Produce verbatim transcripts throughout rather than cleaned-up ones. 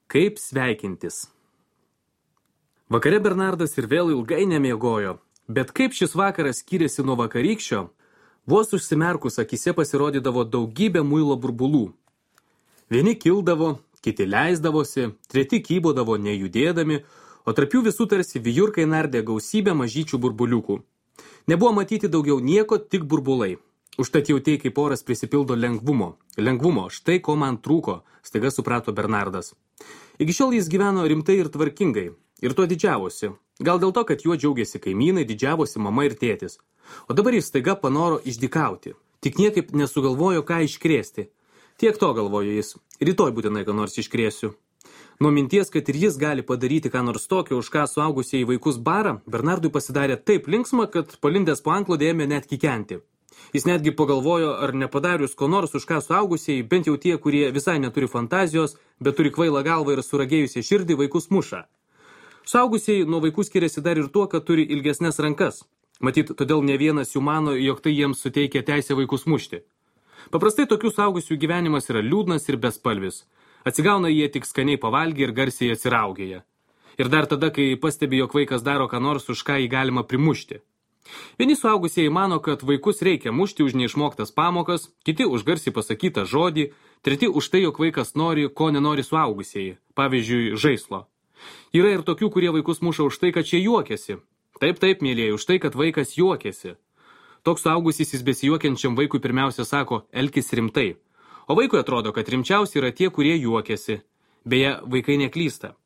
Kaip sveikintis? Vakare Bernardas ir vėl ilgai nemiegojo, bet kaip šis vakaras skyrėsi nuo vakarykščio, vos užsimerkus akise pasirodydavo daugybė muilo burbulų. Vieni kildavo, kiti leisdavosi, treti kybodavo nejudėdami, o tarp jų visų tarsi vijurkai nardė gausybę mažyčių burbuliukų. Nebuvo matyti daugiau nieko, tik burbulai. Užtat jautei, kaip oras prisipildo lengvumo. Lengvumo, štai ko man trūko, staiga suprato Bernardas. Iki šiol jis gyveno rimtai ir tvarkingai, ir tuo didžiavosi. Gal dėl to, kad juo džiaugiasi kaimynai, didžiavosi mama ir tėtis. O dabar jis staiga panoro išdykauti. Tik niekaip nesugalvojo, ką iškrėsti. Tiek to galvojo jis. Rytoj būtinai ką nors iškrėsiu. Nuo minties, kad ir jis gali padaryti ką nors tokio, už ką suaugusieji vaikus bara, Bernardui pasidarė taip linksma, kad palindęs po antklode ėmė net kikenti. Jis netgi pagalvojo, ar nepadarius ko nors, už ką suaugusieji, bent jau tie, kurie visai neturi fantazijos, bet turi kvailą galvą ir suragėjusią širdį, vaikus muša. Suaugusieji nuo vaikų skiriasi dar ir tuo, kad turi ilgesnes rankas. Matyt, todėl ne vienas jų mano, jog tai jiems suteikia teisę vaikus mušti. Paprastai tokių suaugusių gyvenimas yra liūdnas ir bespalvis. Atsigauna jie tik skaniai pavalgę ir garsiai atsiraugėja. Ir dar tada, kai pastebi, jog vaikas daro ką nors, už ką jį galima primušti. Vieni suaugusieji mano, kad vaikus reikia mušti už neišmoktas pamokas, kiti už garsiai pasakytą žodį, treti už tai, jog vaikas nori, ko nenori suaugusieji, pavyzdžiui, žaislo. Yra ir tokių, kurie vaikus muša už tai, kad šie juokiasi. Taip, taip, mėlėjai, už tai, kad vaikas juokiasi. Toks suaugusysis besijuokiančiam vaikui pirmiausia sako, elkis rimtai. O vaikui atrodo, kad rimčiausi yra tie, kurie juokiasi. Beje, vaikai neklysta.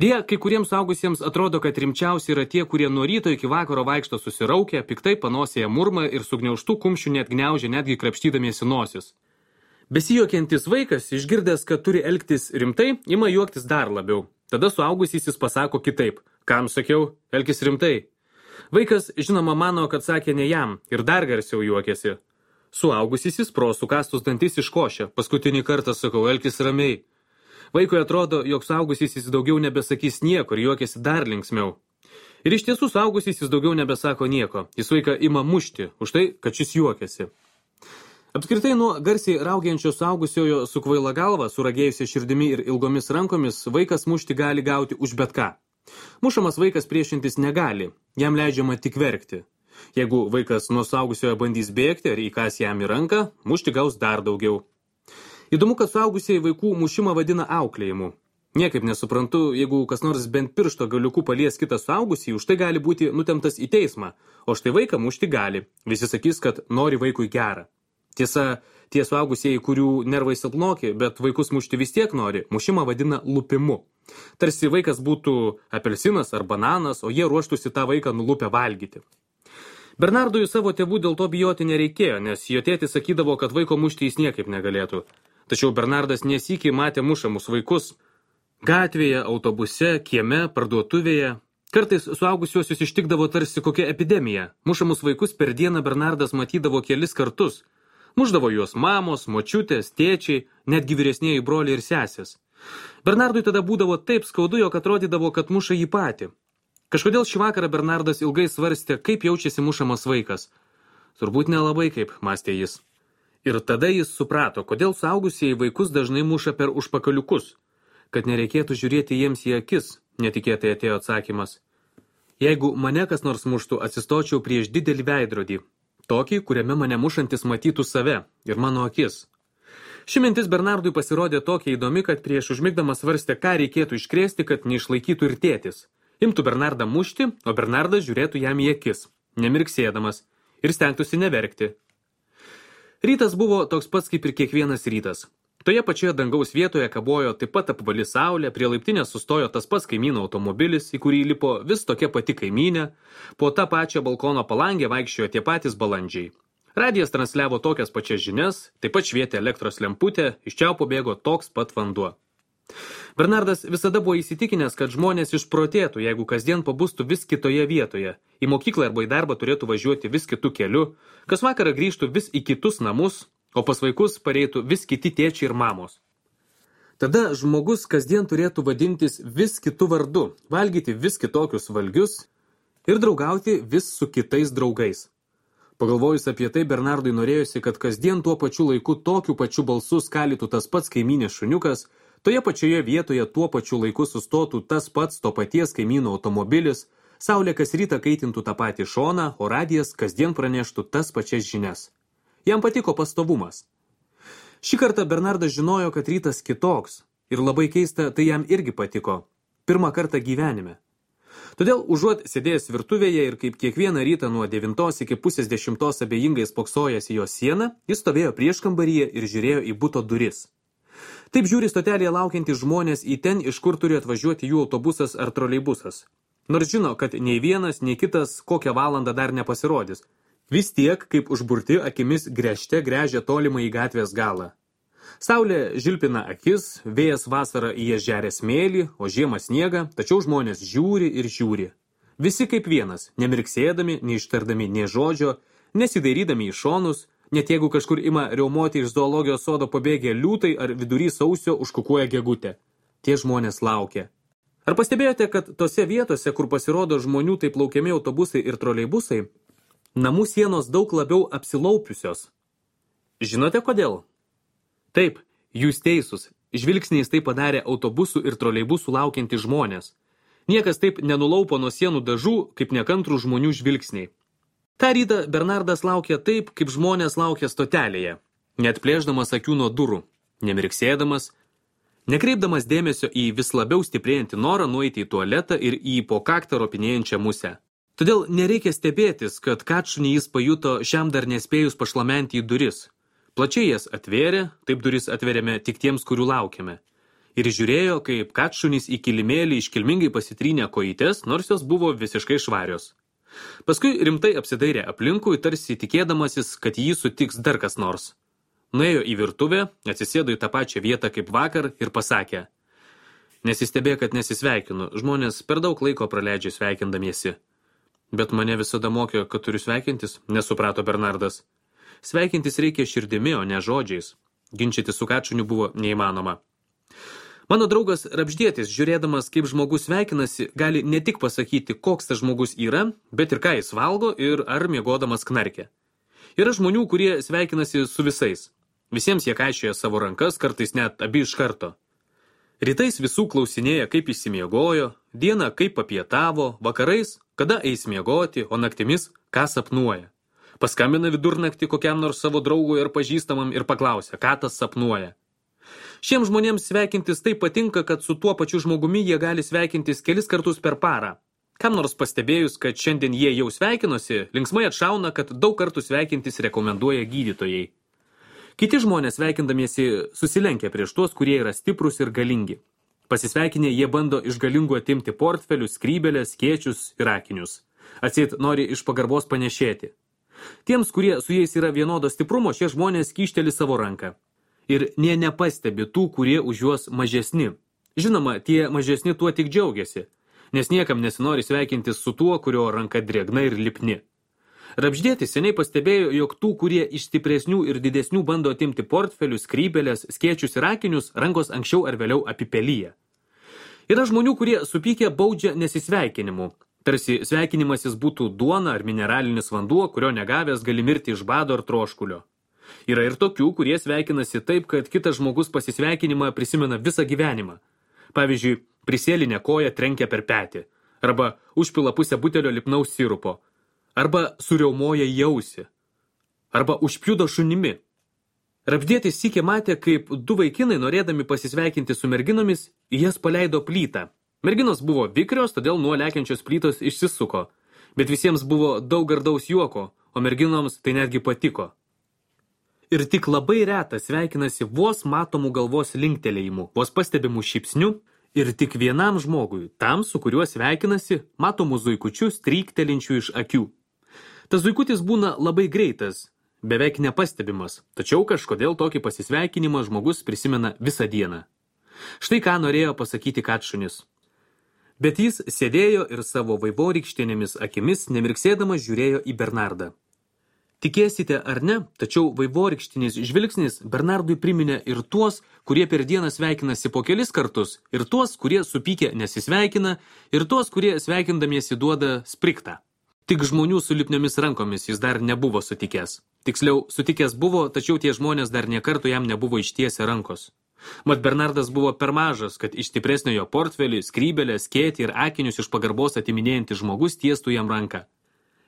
Deja, kai kuriems suaugusiems atrodo, kad rimčiausi yra tie, kurie nuo ryto iki vakaro vaikšto susiraukę, piktai panosėje murma ir sugniaužtų kumščių net gniaužia, netgi krapštydamiesi nosis. Besijuokiantis vaikas, išgirdęs, kad turi elgtis rimtai, ima juoktis dar labiau. Tada suaugusysis pasako kitaip. Kam sakiau, elkis rimtai? Vaikas, žinoma, mano, kad sakė ne jam ir dar garsiau juokėsi. Suaugusysis pro sukastus dantis iškošė. Paskutinį kartą sakau, elkis ramiai. Vaikui atrodo, jog suaugusysis daugiau nebesakys nieko ir juokėsi dar linksmiau. Ir iš tiesų suaugusysis daugiau nebesako nieko. Jis vaiką ima mušti už tai, kad šis juokėsi. Apskritai nuo garsiai raugiančio suaugusiojo su kvaila galva, suragėjusia širdimi ir ilgomis rankomis, vaikas mušti gali gauti už bet ką. Mušamas vaikas priešintis negali, jam leidžiama tik verkti. Jeigu vaikas nuo suaugusiojo bandys bėgti ar įkas jam į ranką, mušti gaus dar daugiau. Įdomu, kad suaugusieji vaikų mušimą vadina auklėjimu. Niekaip nesuprantu, jeigu kas nors bent piršto galiukų palies kitą suaugusį, už tai gali būti nutemtas į teismą, o štai vaiką mušti gali. Visi sakys, kad nori vaikui gerą. Tiesa, tie suaugusieji, kurių nervai silpnoki, bet vaikus mušti vis tiek nori, mušimą vadina lupimu. Tarsi vaikas būtų apelsinas ar bananas, o jie ruoštųsi tą vaiką nulupę valgyti. Bernardui savo tėvų dėl to bijoti nereikėjo, nes jo tėtis sakydavo, kad vaiko mušti jis niekaip negalėtų. Tačiau Bernardas nesykį matė mušamus vaikus gatvėje, autobuse, kieme, parduotuvėje. Kartais suaugusiuosius ištikdavo tarsi kokia epidemija. Mušamus vaikus per dieną Bernardas matydavo kelis kartus. Mušdavo juos mamos, močiutės, tėčiai, netgi vyresnieji broliai ir sesės. Bernardui tada būdavo taip skaudu, jog atrodydavo, kad muša jį patį. Kažkodėl šį vakarą Bernardas ilgai svarstė, kaip jaučiasi mušamas vaikas. Turbūt nelabai kaip, mąstė jis. Ir tada jis suprato, kodėl suaugusieji vaikus dažnai muša per užpakaliukus. Kad nereikėtų žiūrėti jiems į akis, netikėtai atėjo atsakymas. Jeigu mane kas nors muštų, atsistočiau prieš didelį veidrodį. Tokį, kuriame mane mušantis matytų save ir mano akis. Ši mintis Bernardui pasirodė tokia įdomi, kad prieš užmigdamas svarstė, ką reikėtų iškrėsti, kad neišlaikytų ir tėtis. Imtų Bernardą mušti, o Bernardas žiūrėtų jam į akis, nemirksėdamas, ir stengtųsi neverkti. Rytas buvo toks pats kaip ir kiekvienas rytas. Toje pačioje dangaus vietoje kabojo taip pat apvali saulė, prie laiptinės sustojo tas pats kaimyno automobilis, į kurį lipo vis tokia pati kaimynė, po tą pačią balkono palangę vaikščiojo tie patys balandžiai. Radijas transliavo tokias pačias žinias, taip pat švietė elektros lemputė, iš čiaupo bėgo toks pat vanduo. Bernardas visada buvo įsitikinęs, kad žmonės išprotėtų, jeigu kasdien pabustų vis kitoje vietoje. Į mokyklą arba į darbą turėtų važiuoti vis kitų keliu, kas vakarą grįžtų vis į kitus namus, o pas vaikus pareitų vis kiti tėčiai ir mamos. Tada žmogus kasdien turėtų vadintis vis kitų vardu, valgyti vis kitokius valgius ir draugauti vis su kitais draugais. Pagalvojus apie tai, Bernardui norėjosi, kad kasdien tuo pačiu laiku tokiu pačiu balsu skalytų tas pats kaimynės šuniukas, Toje pačioje vietoje tuo pačiu laiku sustotų tas pats to paties kaimyno automobilis, saulė kas rytą kaitintų tą patį šoną, o radijas kasdien praneštų tas pačias žinias. Jam patiko pastovumas. Šį kartą Bernardas žinojo, kad rytas kitoks, ir labai keista, tai jam irgi patiko. Pirmą kartą gyvenime. Todėl užuot sėdėjęs virtuvėje ir kaip kiekvieną rytą nuo devintos iki pusės dešimtos abejingai spoksojęs į jo sieną, jis stovėjo prieškambaryje ir žiūrėjo į buto duris. Taip žiūri stotelėje laukiantys žmonės į ten, iš kur turi atvažiuoti jų autobusas ar troleibusas. Nors žino, kad nei vienas, nei kitas kokią valandą dar nepasirodys. Vis tiek, kaip užburti akimis gręžte gręžia tolimą į gatvės galą. Saulė žilpina akis, vėjas vasarą į jas žeria smėlį, o žiemą sniegą, tačiau žmonės žiūri ir žiūri. Visi kaip vienas, nemirksėdami, neištardami nė žodžio, nesidairydami į šonus, net jeigu kažkur ima riaumoti iš zoologijos sodo pabėgę liūtai ar vidury sausio užkukuoja gegutė. Tie žmonės laukia. Ar pastebėjote, kad tose vietose, kur pasirodo žmonių taip laukiami autobusai ir troleibusai, namų sienos daug labiau apsilaupiusios? Žinote kodėl? Taip, jūs teisūs, žvilgsniais tai padarė autobusų ir troleibusų laukianti žmonės. Niekas taip nenulaupo nuo sienų dažų, kaip nekantrų žmonių žvilgsniai. Ta rytą Bernardas laukė taip, kaip žmonės laukia stotelėje, net plėšdamas akių nuo durų, nemirksėdamas, nekreipdamas dėmesio į vis labiau stiprėjantį norą nueiti į tualetą ir į po kaktą ropinėjančią musę. Todėl nereikia stebėtis, kad katšunį jis pajuto šiam dar nespėjus pašlamenti į duris. Plačiai jas atvėrė, taip duris atveriame tik tiems, kurių laukiame. Ir žiūrėjo, kaip katšunys į kilimėlį iškilmingai pasitrynė kojytes, nors jos buvo visiškai švarios. Paskui rimtai apsidairė aplinkui, tarsi tikėdamasis, kad jį sutiks dar kas nors. Nuėjo į virtuvę, atsisėdo į tą pačią vietą kaip vakar ir pasakė: Nesistebė, kad nesisveikinu, žmonės per daug laiko praleidžia sveikindamiesi. Bet mane visada mokė, kad turiu sveikintis, nesuprato Bernardas. Sveikintis reikia širdimi, o ne žodžiais. Ginčyti su katšuniu buvo neįmanoma. Mano draugas Rapždėtis, žiūrėdamas, kaip žmogus sveikinasi, gali ne tik pasakyti, koks tas žmogus yra, bet ir ką jis valgo ir ar miegodamas knarkia. Yra žmonių, kurie sveikinasi su visais. Visiems jie kaišioja savo rankas, kartais net abi iš karto. Rytais visų klausinėja, kaip įsimiegojo, dieną kaip papietavo, vakarais, kada eis miegoti, o naktimis, ką sapnuoja. Paskambina vidurnaktį kokiam nors savo draugui ar pažįstamam ir paklausia, ką tas sapnuoja. Šiems žmonėms sveikintis taip patinka, kad su tuo pačiu žmogumi jie gali sveikintis kelis kartus per parą. Kam nors pastebėjus, kad šiandien jie jau sveikinosi, linksmai atšauna, kad daug kartų sveikintis rekomenduoja gydytojai. Kiti žmonės sveikindamiesi susilenkia prieš tuos, kurie yra stiprus ir galingi. Pasisveikinę jie bando iš galingų atimti portfelius, skrybelės, skėčius ir akinius. Atseit nori iš pagarbos panešėti. Tiems, kurie su jais yra vienodo stiprumo, šie žmonės kyšteli savo ranką. Ir nė nepastebi tų, kurie už juos mažesni. Žinoma, tie mažesni tuo tik džiaugiasi, nes niekam nesinori sveikintis su tuo, kurio ranka drėgna ir lipni. Rapždėtis seniai pastebėjo, jog tų, kurie iš stipresnių ir didesnių bando atimti portfelius, skrybelės, skėčius ir akinius, rankos anksčiau ar vėliau apipelyja. Yra žmonių, kurie supykę baudžia nesisveikinimu. Tarsi sveikinimasis būtų duona ar mineralinis vanduo, kurio negavęs gali mirti iš bado ar troškulio. Yra ir tokių, kurie sveikinasi taip, kad kitas žmogus pasisveikinimą prisimena visą gyvenimą. Pavyzdžiui, prisėlinę koją trenkia per petį, arba užpila pusę butelio lipnaus sirupo, arba suriaumoja į ausį, arba užpjudo šunimi. Rapždėtis sykį matė, kaip du vaikinai, norėdami pasisveikinti su merginomis, į jas paleido plytą. Merginos buvo vikrios, todėl nuo lekiančios plytos išsisuko, bet visiems buvo daug gardaus juoko, o merginoms tai netgi patiko. Ir tik labai retas sveikinasi vos matomų galvos linktelėjimų, vos pastebimų šypsnių ir tik vienam žmogui, tam, su kuriuo sveikinasi, matomų zuikučių stryktelinčių iš akių. Tas zuikutis būna labai greitas, beveik nepastebimas, tačiau kažkodėl tokį pasisveikinimą žmogus prisimena visą dieną. Štai ką norėjo pasakyti katšunis. Bet jis sėdėjo ir savo vaivorykštėnėmis akimis nemirksėdamas žiūrėjo į Bernardą. Tikėsite ar ne, tačiau vaivorykštinis žvilgsnis Bernardui priminė ir tuos, kurie per dieną sveikinasi po kelis kartus, ir tuos, kurie supykę nesisveikina, ir tuos, kurie sveikindamiesi duoda spriktą. Tik žmonių su lipniomis rankomis jis dar nebuvo sutikęs. Tiksliau, sutikęs buvo, tačiau tie žmonės dar nė kartų jam nebuvo ištiesę rankos. Mat Bernardas buvo per mažas, kad iš stipresnio jo portfelį, skrybelę, skėtį ir akinius iš pagarbos atiminėjantis žmogus tiestų jam ranką.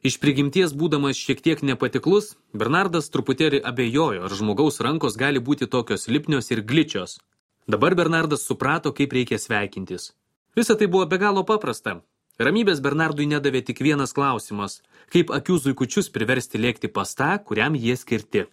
Iš prigimties būdamas šiek tiek nepatiklus, Bernardas truputėlį abejojo, ar žmogaus rankos gali būti tokios lipnios ir gličios. Dabar Bernardas suprato, kaip reikia sveikintis. Visa tai buvo be galo paprasta. Ramybės Bernardui nedavė tik vienas klausimas – kaip akių zuikučius priversti lėkti pas tą, kuriam jie skirti.